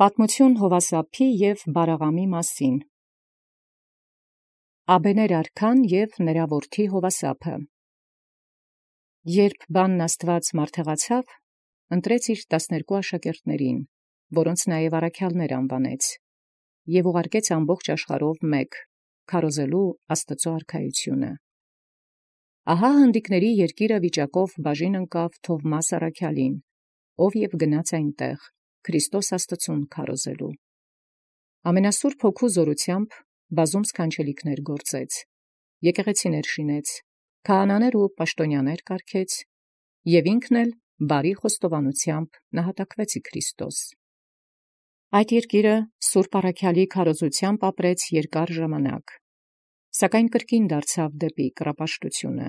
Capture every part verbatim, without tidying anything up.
Պատմություն Հովասափի և Բարաղամի մասին։ Աբեներ արքան և նրա որդի Հովասափը։ Երբ բանն Աստուած մարդեղացավ, ընտրեց իր տասներկու աշակերտներին, որոնց նաև առաքյալներ անվանեց, և ուղարկեց ամբողջ աշխարհով մեկ, քարոզելու Աստուծոյ արքայությունը։ Ահա հնդիկների երկիրը վիճակով բաժին ընկավ Թովմաս առաքյալին, ով և գնաց այնտեղ, Քրիստոս Աստծուն քարոզելու։ Ամենասուրբ Հոգու զորութեամբ բազում սքանչելիքներ գործեց, եկեղեցիներ շինեց, քահանաներ ու պաշտոնյաներ կարգեց, և ինքն էլ բարի խոստովանությամբ նահատակվեց ի Քրիստոս։ Այդ երկիրը սուրբ առաքյալի քարոզութեամբ ապրեց երկար ժամանակ, սակայն կրկին դարձավ դեպի կռապաշտությունը։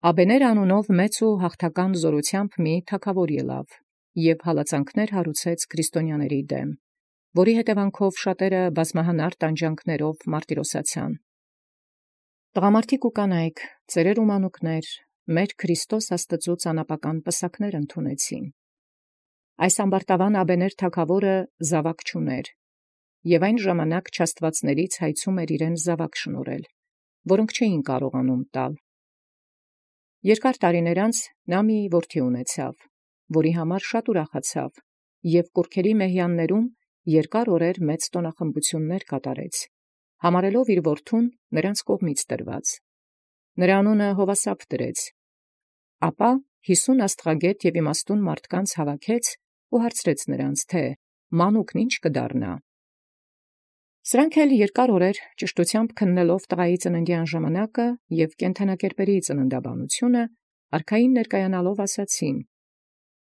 Աբեներ անունով մեծ ու հաղթական զորութեամբ մի թագաւոր ելավ, և հալածանքներ հարուցեց քրիստոնյաների դեմ, որի հետևանքով շատերը բազմահանար տանջանքներով մարտիրոսացան։ Տղամարդիկ ու կանայք, ծերեր ու մանուկներ, մեր Քրիստոս Աստծուց անապական պսակներ ընդունեցին։ Այս ամբարտավան Աբեներ թագաւորը զաւակ չուներ, և այն ժամանակ չաստվածներից հայցում էր իրեն զաւակ շնորհել, որոնք չէին կարողանում տալ։ Երկար տարիներ անց նա մի որդի ունեցավ, որի համար շատ ուրախացավ, և կուռքերի մեհյաններում երկար օրեր մեծ տոնախմբություններ կատարեց, համարելով իր որդուն նրանց կողմից տրված։ Նրա անունը Հովասափ դրեց։ Ապա հիսուն աստղագետ և իմաստուն մարդկանց հավաքեց ու հարցրեց նրանց, թե մանուկն ի՞նչ կդառնա։ Սրանք էլ երկար օրեր ճշտութեամբ քննելով տղայի ծննդյան ժամանակը և կենդանակերպերի ծննդաբանությունը, արքային ներկայանալով ասացին.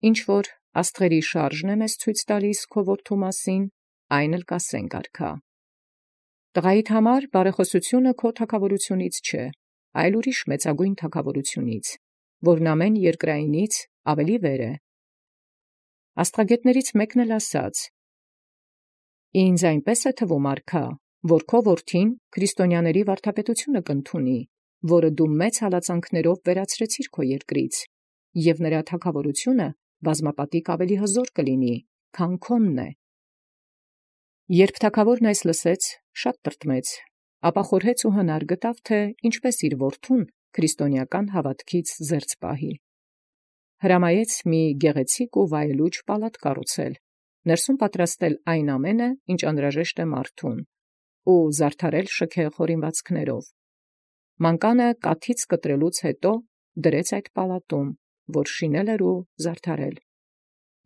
«Ինչ որ աստղերի շարժն է մեզ ցույց տալիս քո որդու մասին, այն էլ կասենք արքա։ Տղայիդ համար բարեխոսությունը քո թագաւորությունից չէ, այլ ուրիշ մեծագույն թագաւորությունից, որն ամեն երկրայինից ավելի վեր է»։ Աստղագետներից մեկն էլ ասաց. «Ինձ այնպես է թվում, արքա, որ քո որդին քրիստոնյաների վարդապետությունը կընդունի, որը դու մեծ հալածանքներով վերացրեցիր քո երկրից, և նրա թագաւորությունը բազմապատիկ ավելի հզոր կլինի, քան քոնն է»։ Երբ թագաւորն այս լսեց, շատ տրտմեց, ապա խորհեց ու հնար գտավ, թե ինչպես իր որդուն քրիստոնեական հաւատքից զերծ պահի։ Հրամայեց մի գեղեցիկ ու վայելուչ պալատ կառուցել, ներսում պատրաստել այն ամենը, ինչ անհրաժեշտ է մարդուն, ու զարդարել շքեղ հորինվածքներով։ Մանկանը կաթից կտրելուց հետո դրեց այդ պալատում, որ շինել էր ու զարդարել։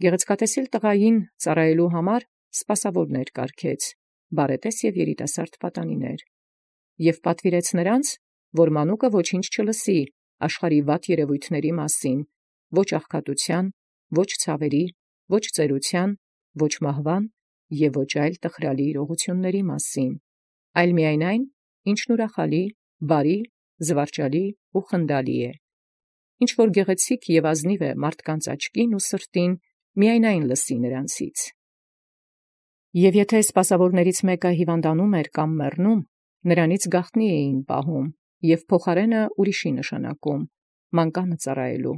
Գեղեցկատեսիլ տղային ծառայելու համար սպասավորներ կարգեց, բարետես և երիտասարդ պատանիներ, և պատվիրեց նրանց, որ մանուկը ոչինչ չլսի աշխարհի վատ երևույթների մասին, ոչ աղքատության, ոչ ցավերի, ոչ ծերության, ոչ մահվան և ոչ այլ տխրալի իրողությունների մասին, այլ միայն այն, ինչն ուրախալի, բարի, զվարճալի ու խնդալի է։ Ինչ որ գեղեցիկ և ազնիվ է մարդկանց աչքին ու սրտին, միայն այն լսի նրանցից։ Եվ եթե սպասավորներից մեկը հիվանդանում էր կամ մեռնում, նրանից գաղտնի էին պահում և փոխարենը ուրիշի նշանակում, մանկանը ծառայելու։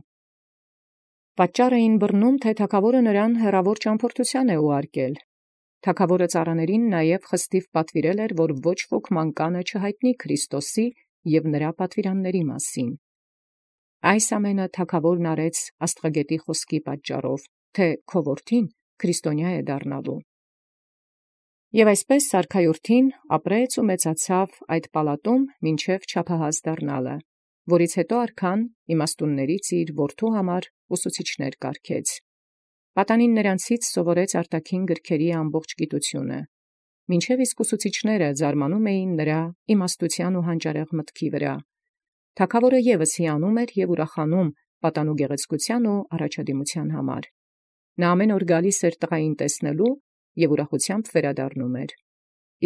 Պատճառ էին բռնում, թե թագաւորը նրան հեռավոր ճամփորդութեան է ուղարկել։ Թագաւորը ծառաներին նաև խստիվ պատվիրել էր, որ ոչ ոք մանկանը չհայտնի Քրիստոսի և նրա պատվիրանների մասին։ Այս ամենը թագաւորն արեց աստղագետի խոսքի պատճառով, թե քո որդին քրիստոնյա է դառնալու։ Եւ այսպես արքայորդին ապրեց ու մեծացավ այդ պալատում մինչև չափահաս դառնալը, որից հետո արքան իմաստուններից իր որդու համար ուսուցիչներ կարգեց։ Պատանին նրանցից սովորեց արտաքին գրքերի ամբողջ գիտությունը, մինչև իսկ ուսուցիչները զարմանում էին նրա իմաստության ու հանճարեղ մտքի վրա։ Թագաւորը ևս հիանում էր և ուրախանում պատանու գեղեցկության ու առաջադիմության համար։ Նա ամեն օր գալիս էր տղային տեսնելու և ուրախությամբ վերադառնում էր,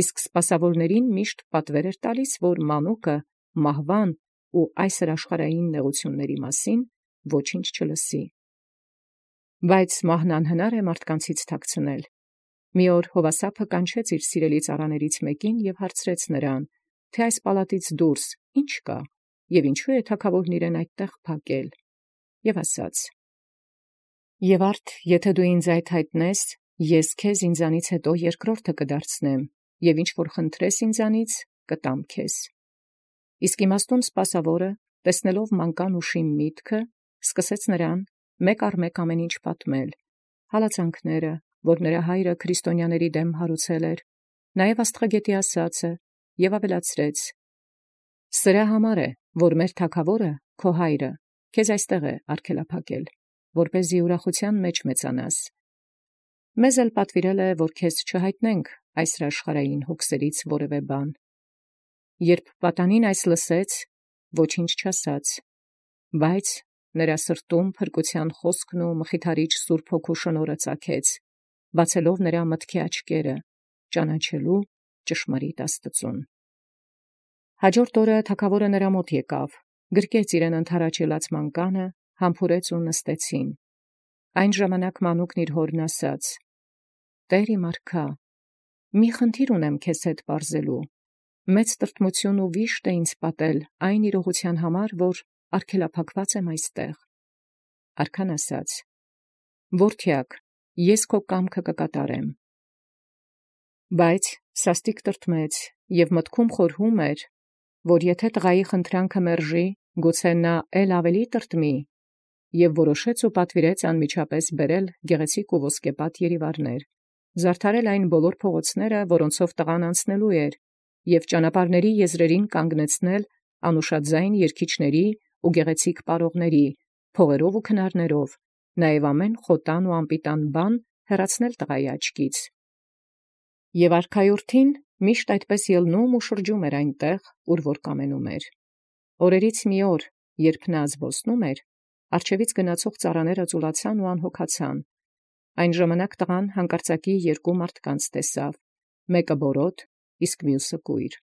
իսկ սպասավորներին միշտ պատվեր էր տալիս, որ մանուկը մահվան ու այսր աշխարհային նեղությունների մասին ոչինչ չլսի։ Բայց մահն անհնար է մարդկանցից թաքցնել։ Մի օր Հովասափը կանչեց իր սիրելի ծառաներից մեկին և հարցրեց նրան, թե այս պալատից դուրս ի՞նչ կա, և ինչու է թագաւորն իրեն այդտեղ փակել, և ասաց. «Եվ արդ եթե դու ինձ այդ հայտնես, Ես քեզ ինձանից հետո երկրորդը կդարձնեմ, և ինչ որ խնդրես ինձանից, կտամ քեզ։ Իսկ իմաստուն սպասավորը, տեսնելով մանկան ուշիմ միտքը, սկսեց նրան մեկ առ մեկ ամեն ինչ պատմել, հալածանքները, որ նրա հայրը քրիստոնյաների դեմ հարուցել էր, նաև աստղագետի ասածը, և ավելացրեց. «Սրա համար է, որ մեր թագավորը, քո հայրը, քեզ այստեղ է արգելափակել, որպեսզի ուրախության մեջ մեծանաս։ Մեզ էլ պատվիրել է, որ քեզ չհայտնենք այս աշխարհային հոգսերից որևէ բան»։ Երբ պատանին այս լսեց, ոչինչ չասաց, բայց նրա սրտում փրկության խոսքն ու մխիթարիչ Սուրբ Հոգու շնորհը ծագեց, բացելով նրա մտքի աչքերը, ճանաչելու ճշմարիտ Աստծուն։ Հաջորդ օրը թագավորը նրա մոտ եկավ, գրկեց իրեն ընդառաջելած մանկանը, համբուրեց ու նստեցին։ Այն ժամանակ մանուկն իր հորն ասաց. «Տեր իմ արքա, մի խնդիր ունեմ քեզ հետ պարզելու, մեծ տրտմություն ու վիշտ է ինձ պատել այն իրողության համար, որ արգելափակված եմ այստեղ»։ Արքան ասաց. «Որդյակ, ես քո կամքը կկատարեմ»։ Բայց սաստիկ տրտմեց և մտքում խորհում էր, որ եթե տղայի խնդրանքը մերժի, գուցե նա էլ ավելի տրտմի, և որոշեց ու պատվիրեց անմիջապես բերել գեղեցիկ ու ոսկեպատ երիվարներ, զարդարել այն բոլոր փողոցները, որոնցով տղան անցնելու էր, և ճանապարհների եզրերին կանգնեցնել անուշաձայն երգիչների ու գեղեցիկ պարողների, փողերով ու քնարներով, նաև ամեն խոտան ու անպիտան բան հեռացնել տղայի աչքից։ Եվ արքայորդին միշտ այդպես ելնում ու շրջում էր այնտեղ, ուր որ կամենում էր։ Օրերից մի օր, երբ նա զբոսնում էր, առջևից գնացող ծառաները ծուլացան ու անհոգացան։ Այն ժամանակ տղան հանկարծակի երկու մարդկանց տեսավ, մեկը բորոտ, իսկ մյուսը կույր։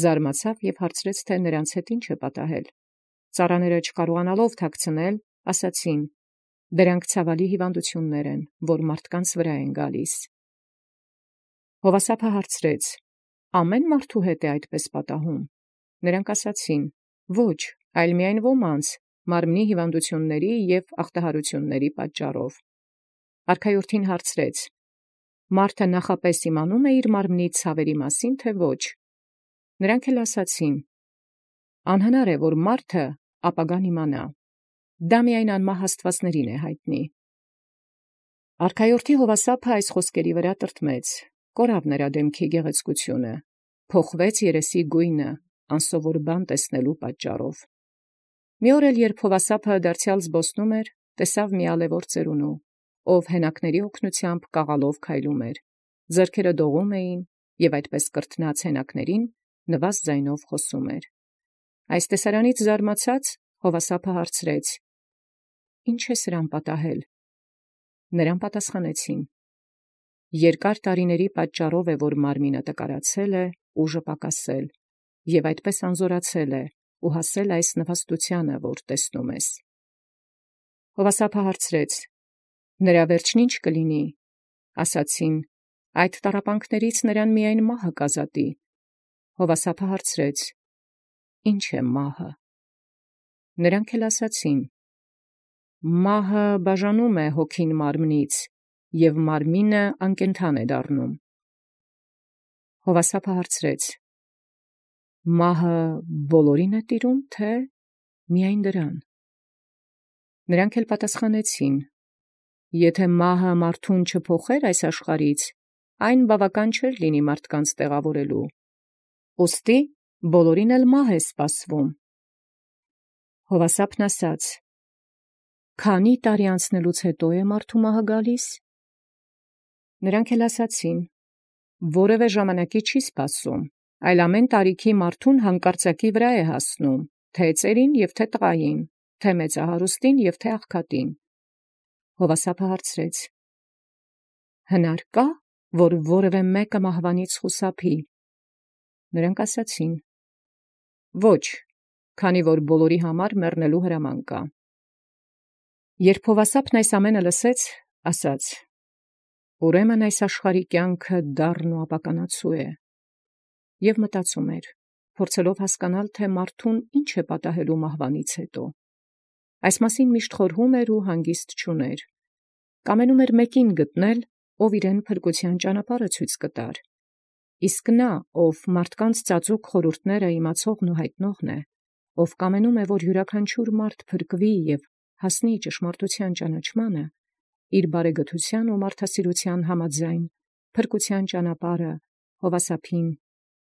Զարմացավ և հարցրեց, թե նրանց հետ ինչ է պատահել։ Ծառաները չկարողանալով թաքցնել, ասացին. «Դրանք ցավալի հիվանդություններ են, որ մարդկանց վրա են գալիս»։ Հովասափը հարցրեց. «Ամեն մարդու հետ է այդպես պատահում»։ Նրանք ասացին. «Ոչ, այլ միայն ոմանց, մարմնի հիվանդությունների և ախտահարությունների պատճառով»։ Արքայորդին հարցրեց. «Մարդը նախապես իմանում է իր մարմնի ցավերի մասին, թե ոչ»։ Նրանք էլ ասացին. «Անհնար է, որ մարդը ապագան իմանա. դա միայն անմահ աստվածներին է հայտնի»։ Արքայորդի Հովասափը այս խոսքերի վրա տրտմեց, կորավ նրա դեմքի գեղեցկությունը, փոխվեց երեսի գույնը, անսովոր բան տեսնելու պատճառով։ Մի օր էլ, երբ Հովասափը դարձյալ զբոսնում էր, տեսավ մի ալևոր ծերունու, ով հենակների օգնությամբ կաղալով քայլում էր, ձեռքերը դողում էին և այդպես կրթնած հենակներին նվազ ձայնով խոսում էր։ Այս տեսարանից զարմացած, Հովասափը հարցրեց. «Ի՞նչ է սրան պատահել»։ Նրան պատասխանեցին. «Երկար տարիների պատճառով է, որ մարմինը տկարացել է, ուժը պակասել, և այդպես անզորացել է ու հասել այս նվաստությանը, որ տեսնում ես»։ Հովասափը հարցրեց. «Նրա վերջն ի՞նչ կլինի»։ Ասացին. «Այդ տառապանքներից նրան միայն մահը կազատի»։ Հովասափը հարցրեց. «Ի՞նչ է մահը»։ Նրանք էլ ասացին. «Մահը բաժանում է հոգին մարմնից, և մարմինը անկենդան է դառնում»։ Հովասափը հարցրեց. «Մահը բոլորին է տիրում, թե՞ միայն դրան»։ Նրանք էլ պատասխանեցին. «Եթե մահը մարդուն չփոխեր այս աշխարհից, այն բավական չէր լինի մարդկանց տեղավորելու։ Ուստի բոլորին էլ մահ է սպասվում»։ Հովասափն ասաց. «Քանի՞ տարի անցնելուց հետո է մարդու մահը գալիս»։ Նրանք էլ ասացին. «Որևէ ժամանակի չի սպասում, այլ ամեն տարիքի մարդուն հանկարծակի վրա է հասնում, թե ծերին և թե տղային, թե մեծահարուստին և թե աղքատին»։ Հովասափը հարցրեց. «Հնար կա, որ որևէ մեկը մահվանից խուսափի»։ Նրանք ասացին. «Ոչ, քանի որ բոլորի համար մեռնելու հրաման կա»։ Երբ Հովասափն այս ամենը լսեց, ասաց. «Ուրեմն այս աշխարհի կյանքը դառն ու ապականացու է»։ Եվ մտածում էր, փորձելով հասկանալ, թե մարդուն ինչ է պատահելու մահվանից հետո։ Այս մասին միշտ խորհում էր ու հանգիստ չուներ։ Կամենում էր մեկին գտնել, ով իրեն փրկության ճանապարհը ցույց կտար։ Իսկ նա, ով մարդկանց ծածուկ խորհուրդները իմացողն ու հայտնողն է, ով կամենում է, որ յուրաքանչյուր մարդ փրկվի և հասնի ճշմարտութեան ճանաչմանը, իր բարեգթութեան ու մարդասիրութեան համաձայն փրկության ճանապարհը Յովհասափին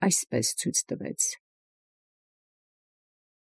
այսպէս ցույց տուեց։